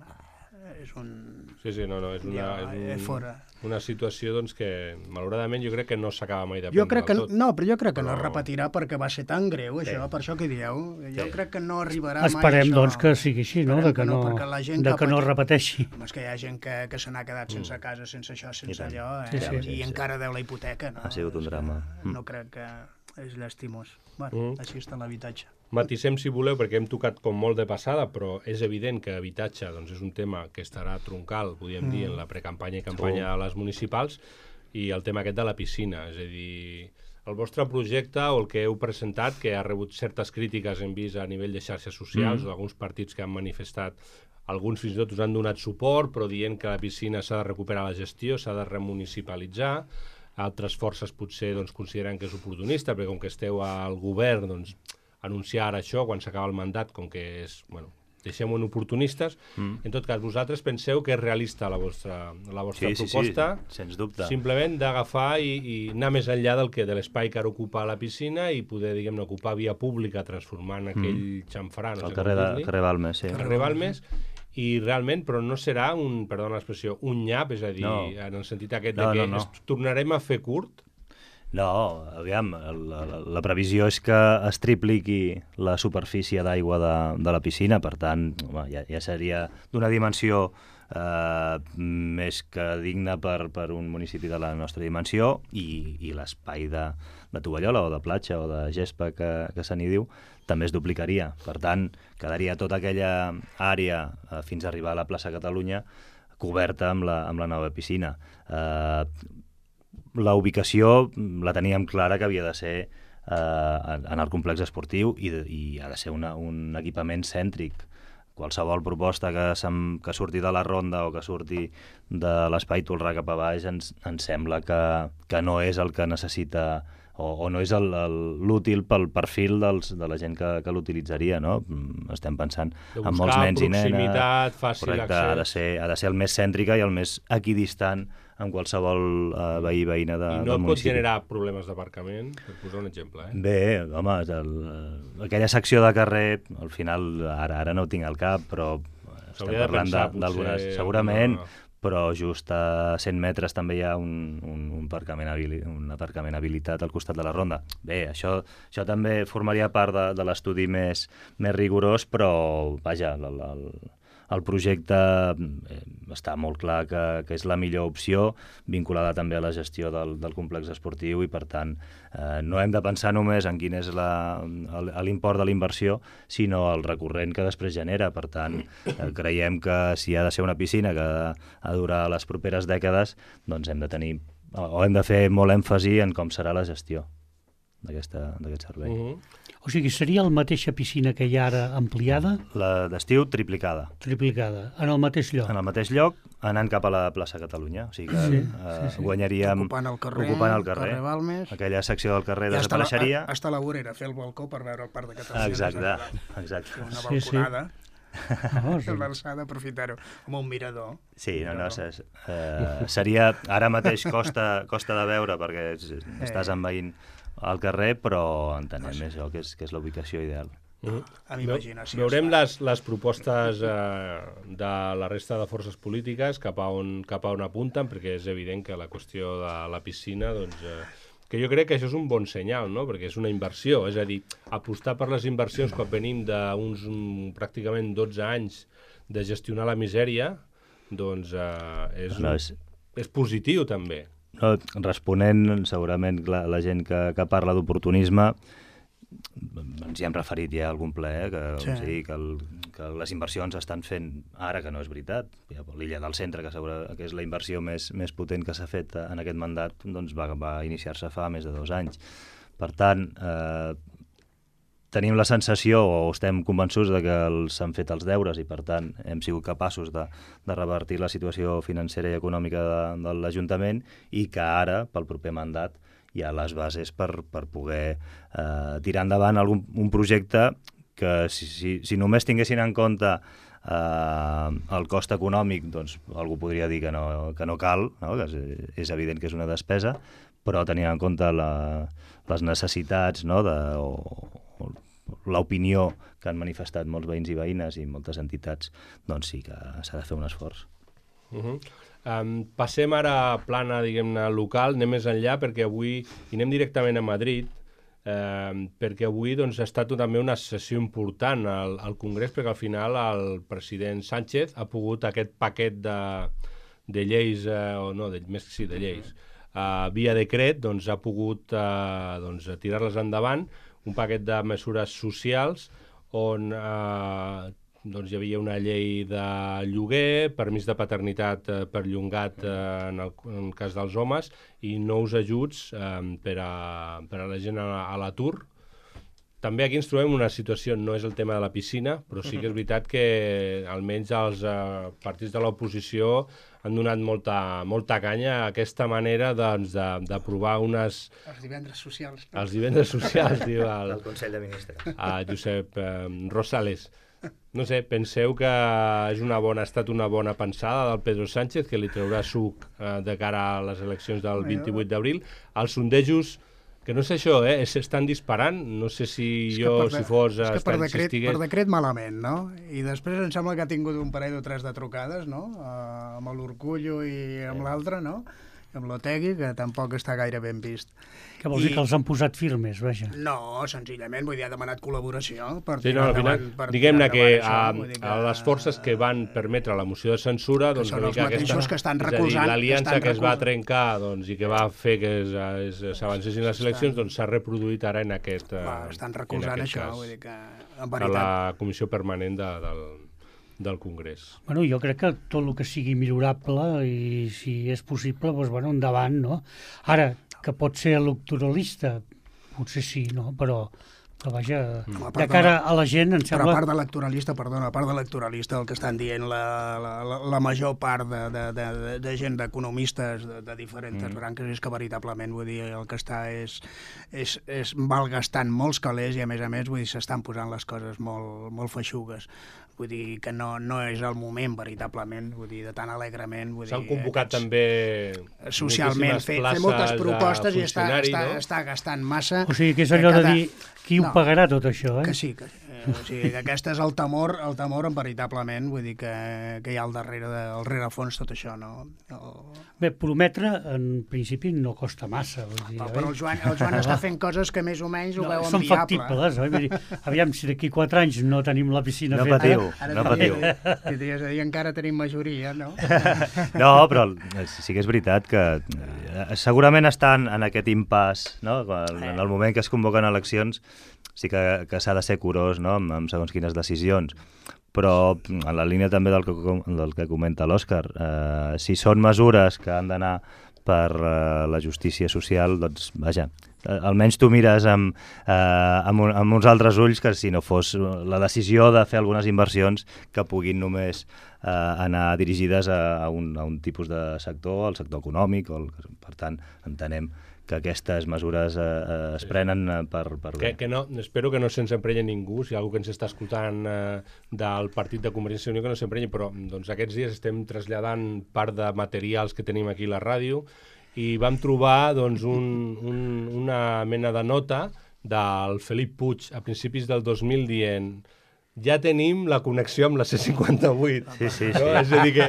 És un...
Sí, sí, no, no, és una,
ja,
és un,
fora.
una situació doncs, que, malauradament, jo crec que no s'acaba mai de
jo crec que,
tot.
No, però jo crec que però... no es repetirà perquè va ser tan greu, això, sí. per això que dieu. Jo sí. crec que no arribarà
Esperem,
mai
això. Doncs, que sigui així, no? De que, que no,
no,
de que no es repeteixi.
És que hi ha gent que, que se n'ha quedat sense mm. casa, sense això, sense allò, eh?
sí, sí,
i
sí,
encara deu la hipoteca. No?
Ha sigut un drama.
No crec que... és llastimós. Bueno, mm. així està l'habitatge.
Matissem, si voleu, perquè hem tocat com molt de passada, però és evident que habitatge doncs, és un tema que estarà troncal, podríem mm. dir, en la precampanya i campanya de les municipals, i el tema aquest de la piscina. És a dir, el vostre projecte o el que heu presentat, que ha rebut certes crítiques, hem vist a nivell de xarxes socials, mm. d'alguns partits que han manifestat, alguns fins i tot us han donat suport, però dient que la piscina s'ha de recuperar la gestió, s'ha de remunicipalitzar. altres forces potser doncs, consideren que és oportunista, perquè com que esteu al govern, doncs, anunciar ara això quan s'acaba el mandat, com que és, bueno, deixem-ho en oportunistes. Mm. En tot cas, vosaltres penseu que és realista la vostra, la vostra
sí,
proposta,
sí, sí, sens dubte.
Simplement d'agafar i, i anar més enllà del que de l'espai que ara ocupa la piscina i poder, diguem-ne, ocupar via pública transformant aquell mm. xamfrà, no
el
sé
carrer,
com
de,
dir-li.
carrer Balmes, sí.
Carrer Balmes, i realment, però no serà un, perdona l'expressió, un nyap, és a dir,
no.
en el sentit aquest
no,
de que
no, no.
es tornarem a fer curt.
No, aviam, la, la, la previsió és que es tripliqui la superfície d'aigua de, de la piscina, per tant, home, ja, ja seria d'una dimensió eh, més que digna per, per un municipi de la nostra dimensió, i, i l'espai de, de tovallola o de platja o de gespa que, que se n'hi diu també es duplicaria. Per tant, quedaria tota aquella àrea eh, fins a arribar a la plaça Catalunya coberta amb la, amb la nova piscina. Eh, La ubicació la teníem clara que havia de ser eh, en el complex esportiu i, de, i ha de ser una, un equipament cèntric. Qualsevol proposta que, sem, que surti de la ronda o que surti de l'espai Tolrà cap a baix ens, ens sembla que, que no és el que necessita o, o no és l'útil pel perfil dels, de la gent que, que l'utilitzaria, no? Estem pensant en molts nens i nenes.
Proximitat, fàcil
correcte,
accés.
ha de, ser, ha de ser el més cèntrica i el més equidistant amb qualsevol uh, veí veïna de,
I no
del
pot
municipi.
generar problemes d'aparcament, per posar un exemple. Eh?
Bé, home, el, aquella secció de carrer, al final, ara ara no ho tinc al cap, però estem
de
parlant
pensar,
d'algunes,
potser,
segurament,
alguna...
però just a cent metres també hi ha un, un, un, aparcament, habili, un aparcament habilitat al costat de la ronda. Bé, això, això també formaria part de, de l'estudi més, més rigorós, però, vaja, el, el, el projecte eh, està molt clar que, que és la millor opció, vinculada també a la gestió del, del complex esportiu, i per tant eh, no hem de pensar només en quin és l'import de la inversió, sinó el recurrent que després genera. Per tant, eh, creiem que si ha de ser una piscina que ha de durar les properes dècades, doncs hem de tenir, o hem de fer molt èmfasi en com serà la gestió d'aquest servei.
Uh-huh.
O sigui, seria la mateixa piscina que hi ha ara ampliada?
La d'estiu triplicada.
Triplicada, en el mateix lloc?
En el mateix lloc, anant cap a la plaça Catalunya. O sigui que
sí,
eh,
sí, sí.
guanyaríem
ocupant el carrer,
ocupant el carrer.
carrer Balmes.
Aquella secció del carrer
Ja
desapareixeria.
Està, està a la vorera, fer el balcó per veure el Parc de Catalunya.
Exacte, exacte.
Una
Sí, sí.
balconada.
Oh, sí.
L'alçada, aprofitar-ho. Amb un mirador.
Sí, no, no, és, eh, seria, ara mateix costa, costa de veure perquè estàs envaint el carrer, però entenem això, que és, que és la ubicació ideal.
Uh-huh.
Amb imaginació.
Veurem les, les propostes eh, de la resta de forces polítiques cap a on, cap a on apunten, perquè és evident que la qüestió de la piscina, doncs, eh, que jo crec que això és un bon senyal, no? Perquè és una inversió, és a dir, apostar per les inversions quan venim d'uns um, pràcticament dotze anys de gestionar la misèria, doncs eh, és,
No,
un,
és-
és positiu també.
No, responent, segurament, la, la gent que, que parla d'oportunisme, ens hi hem referit ja a algun ple, eh, que,
Sí.
sí. que, el, que les inversions estan fent ara, que no és veritat. Ja, l'Illa del Centre, que, segura, que és la inversió més, més potent que s'ha fet en aquest mandat, doncs va, va iniciar-se fa més de dos anys. Per tant, eh, tenim la sensació, o estem convençuts de que s'han fet els deures i, per tant, hem sigut capaços de, de revertir la situació financera i econòmica de, de l'Ajuntament, i que ara, pel proper mandat, hi ha les bases per, per poder eh, tirar endavant algun, un projecte que, si, si, si només tinguessin en compte eh, el cost econòmic, doncs algú podria dir que no, que no cal, no? Que és, és evident que és una despesa, però tenint en compte la, les necessitats, no? de, o, o l'opinió que han manifestat molts veïns i veïnes i moltes entitats, doncs sí que s'ha de fer un esforç.
Uh-huh. Um, passem ara a plana, diguem-ne, local, anem més enllà, perquè avui, i anem directament a Madrid, eh, perquè avui doncs, ha estat també una sessió important al, al Congrés, perquè al final el president Sánchez ha pogut aquest paquet de, de lleis, eh, o no, de, més que sí, de lleis, eh, via decret, doncs ha pogut eh, doncs, tirar-les endavant, un paquet de mesures socials on eh, doncs hi havia una llei de lloguer, permís de paternitat eh, perllongat eh, en, el, en el cas dels homes, i nous ajuts eh, per, a, per a la gent a, a l'atur. també aquí ens trobem una situació, no és el tema de la piscina, però sí que és veritat que almenys els eh, partits de l'oposició han donat molta, molta canya a aquesta manera doncs, d'aprovar unes...
Els divendres socials. No?
Els divendres socials, diu el,
El Consell de Ministres.
a Josep eh, Rosales. No sé, penseu que és una bona, ha estat una bona pensada del Pedro Sánchez, que li traurà suc eh, de cara a les eleccions del vint-i-vuit d'abril. Els sondejos, que no sé això, eh, s'estan disparant, no sé si jo,
de,
si fos...
És que per decret,
si estigués...
per decret malament, no? I després em sembla que ha tingut un parell o tres de trucades, no? Uh, amb l'Urcullo i amb l'altre, no? Amb l'Otegui, que tampoc està gaire ben vist.
Que vols I... dir que els han posat firmes, vaja?
No, senzillament, vull dir, ha demanat col·laboració per
sí, no, al final,
per
diguem-ne que,
això,
a, que a les forces que van permetre la moció de censura,
que
doncs,
són els mateixos aquesta, que estan recolzant...
L'aliança que, que es va
recolzant.
trencar doncs, i que va fer que s'avancessin les eleccions doncs, s'ha reproduït ara en aquest,
va, estan recolzant això,
cas,
vull dir que, en veritat...
a la comissió permanent de, del, del Congrés.
Bueno, jo crec que tot el que sigui millorable i si és possible, doncs, bueno, endavant, no? Ara, que pot ser electoralista, potser sí, no? Però, que vaja,
no,
de cara a la gent, em sembla...
Però a part d'electoralista, perdona, a part d'electoralista, el que estan dient la, la, la, la major part de, de, de, de gent, d'economistes de, de diferents mm. branques, és que veritablement, vull dir, el que està és, és, és malgastant molts calés i, a més a més, vull dir, s'estan posant les coses molt, molt feixugues. Vull dir que no, no és el moment, veritablement, vull dir, de tan alegrement.
S'han convocat aquests, també
socialment, fer, fer moltes propostes i està, està, no? està gastant massa.
O sigui, que és allò cada... de dir, qui no, ho pagarà tot això, eh?
Que sí, que, eh, o sigui, que aquest és el temor, el temor veritablement, vull dir que, que hi ha al darrere, de, al rerefons tot això, no? El...
Bé, prometre, en principi, no costa massa. Vull dir,
però, però el Joan, el Joan està fent coses que més o menys ho
no,
veuen
són
viable.
Són factibles, oi? Vull dir, aviam, si d'aquí quatre anys no tenim la piscina
no
feta...
Patiu,
ara,
no
patiu,
patiu.
És a dir, encara tenim majoria, no?
No, però sí que és veritat que segurament estan en aquest impàs, no? En el moment que es convoquen eleccions sí que, que s'ha de ser curós, no? amb, amb segons quines decisions. Però en la línia també del que, del que comenta l'Òscar, eh, si són mesures que han d'anar per eh, la justícia social, doncs, vaja, eh, almenys tu mires amb, eh, amb, un, amb uns altres ulls que si no fos la decisió de fer algunes inversions que puguin només eh, anar dirigides a, a, un, a un tipus de sector, el sector econòmic, o el, per tant, entenem que aquestes mesures eh, es prenen eh, per, per bé.
Que, que no, espero que no se'ns emprenya ningú, si hi ha algú que ens està escoltant eh, del partit de Convergència i Unió que no s'emprenyi, però doncs, aquests dies estem traslladant part de materials que tenim aquí a la ràdio i vam trobar doncs, un, un, una mena de nota del Felip Puig a principis del dos mil dient ja tenim la connexió amb la C cinquanta-vuit.
Sí, sí,
no?
sí.
És a dir, que,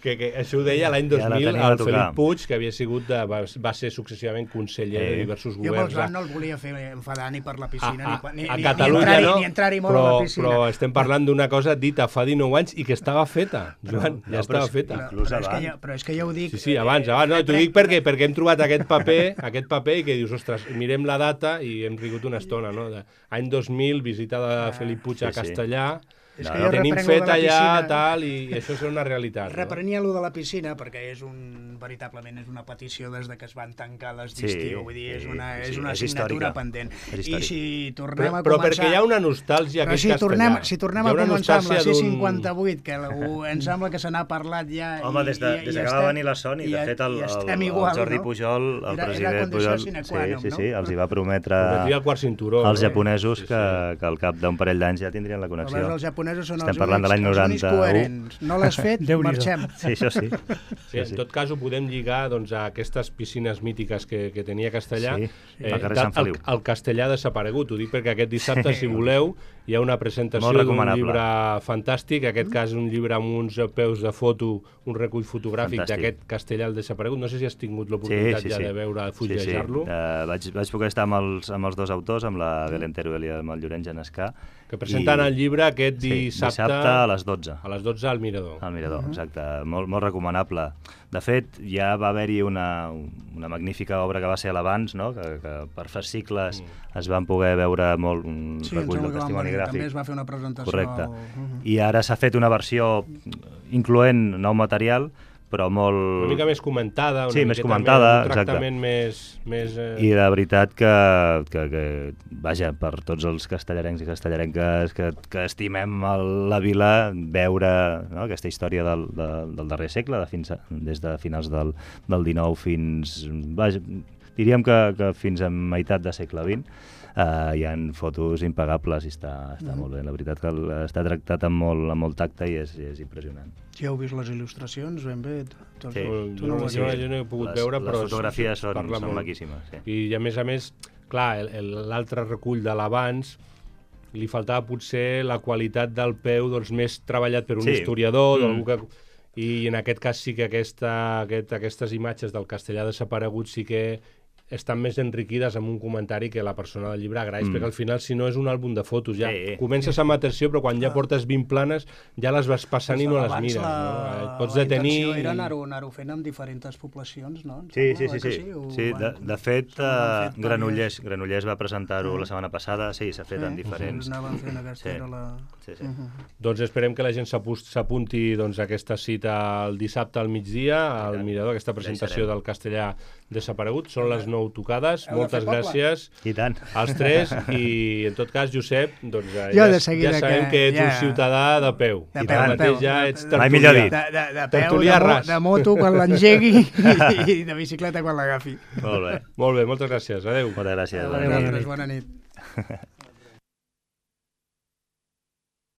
que, que això ho deia l'any dos mil
ja
el Felip Puig, que havia sigut de, va, va ser successivament conseller eh. de diversos
jo
governs.
Jo no el volia fer enfadar ni per la piscina,
a, a,
ni,
a
ni,
Catalunya,
ni entrar-hi
no?
ni entrar molt
però,
a la piscina.
Però estem parlant d'una cosa dita fa dinou anys i que estava feta, Joan,
no,
ja estava
però,
feta.
Però, però, és que ja, però és que ja ho dic...
Sí, sí, abans, abans. No, t'ho dic perquè, perquè hem trobat aquest paper, aquest paper i que dius, ostres, mirem la data i hem rigut una estona, no? De, any dos mil, visita de Felip Puig a Castellà,
És
no,
que
no.
jo
tenim
reprengo
feta
de la
ja,
piscina.
tal, i, i això serà una realitat.
Reprenia allò de la piscina, perquè és un, veritablement és una petició des de que es van tancar les d'estiu,
sí,
vull dir, és
sí,
una, és
sí,
una
és
assignatura
històrica.
pendent.
És
I si tornem
però,
a començar...
Però perquè hi ha una nostàlgia a
però
aquest
si
castellà.
tornem, si tornem a començar amb la C
d'un-
cinquanta-vuit, que la, em sembla que se n'ha parlat ja...
Home,
i,
des de,
i,
des
i
de que
estem,
va venir la Sony, de fet, el,
i
el,
estem
el,
igual,
el Jordi
no?
Pujol, el
Era- era
president
condició
Pujol,
sine
sí,
qua non,
sí,
no?
sí, els hi va prometre
Prometria el quart cinturó,
als
no?
japonesos
Sí, sí.
que, que al cap d'un parell d'anys ja tindrien la connexió.
Aleshores, els japonesos són
Estem
els
parlant de l'any
únics, els únics
noranta-u.
coherents. No l'has fet,
Déu-n'hi-do.
marxem.
Sí, això sí.
Sí, en tot cas ho podem lligar doncs, a aquestes piscines mítiques que, que tenia Castellà.
Sí,
eh,
al carrer
de-
Sant Feliu.
El, el Castellà ha desaparegut, ho dic perquè aquest dissabte, si voleu, hi ha una presentació
Molt
d'un
recomanable.
llibre fantàstic, en aquest cas un llibre amb uns peus de foto, un recull fotogràfic
Fantàstic.
d'aquest Castellà al desaparegut. No sé si has tingut l'oportunitat
Sí, sí,
ja
sí.
de veure,
Sí, sí.
fullejar-lo.
Uh, vaig, vaig poder estar amb els, amb els dos autors, amb la Belén Teruel i amb el Llorenç Genescà.
Que presenten
I-
el llibre aquest
Sí,
dissabte,
dissabte a les dotze.
a les dotze al Mirador.
Al Mirador, exacte. Molt, molt recomanable. De fet, ja va haver-hi una, una magnífica obra que va ser a l'abans, no? que, que per fascicles mm. es van poder veure molt un
Sí, em
recull
sembla
del
que van
testimoni
venir,
gràfic.
també es va fer una presentació.
Correcte.
Al...
I ara s'ha fet una versió incloent nou material, però molt...
Una mica més comentada, una
sí, més
miqueta
comentada,
més, un tractament més... més eh...
I la veritat que, que, que, vaja, per tots els castellarencs i castellarenques que, que estimem el, la vila, veure, no, aquesta història del, de, del darrer segle, de fins a, des de finals del, del dinou fins... Vaja, diríem que, que fins a meitat de segle vint, Uh, hi ha fotos impagables i està, està mm. molt bé. La veritat que està tractat amb molt, amb molt tacte i és, és impressionant.
Ja heu vist les il·lustracions ben bé? Tu,
sí.
tu no
jo,
sí.
jo no he pogut
les,
veure,
les
però...
Les fotografies són, són
molt.
maquíssimes. Sí.
I a més a més, clar, l'altre recull de l'abans li faltava potser la qualitat del peu doncs, més treballat per un sí. historiador, mm. que... i en aquest cas sí que aquesta, aquest, aquestes imatges del castellà desaparegut sí que estan més enriquides amb un comentari que la persona del llibre agraeix, mm. perquè al final, si no, és un àlbum de fotos. Ja
sí.
comences amb atenció, però quan ja portes vint planes, ja les vas passant
pues
i no les
abans
mires.
La,
no? Et pots
la
detenir...
intenció era anar-ho anar fent amb diferents poblacions, no?
Sí,
Sembla,
sí, sí. sí.
sí? Ho,
sí de, de fet, uh, Granollers, Granollers va presentar-ho mm. la setmana passada, sí, s'ha fet sí. en diferents...
Sí, anaven fent aquesta, sí. era la...
Sí, sí.
Uh -huh.
Doncs esperem que la gent s'apunti doncs, a aquesta cita el dissabte al migdia, al Mirador, aquesta presentació del castellà desaparegut. Són les nou tocades.
Heu
Moltes gràcies
I tant.
als tres. I, en tot cas, Josep, doncs, ja,
Jo de
ja sabem que, que ets
ja...
un ciutadà de peu.
De
I
peu,
ara
de
mateix
peu.
ja
De-
ets
de-
Mai millor
tertulià.
dit.
De, de, de peu,
Tertulià
de, mo,
ras.
de moto quan l'engegui i de bicicleta quan l'agafi.
Molt bé.
Molt bé, moltes gràcies. Adéu.
Moltes gràcies.
A vosaltres, bona nit.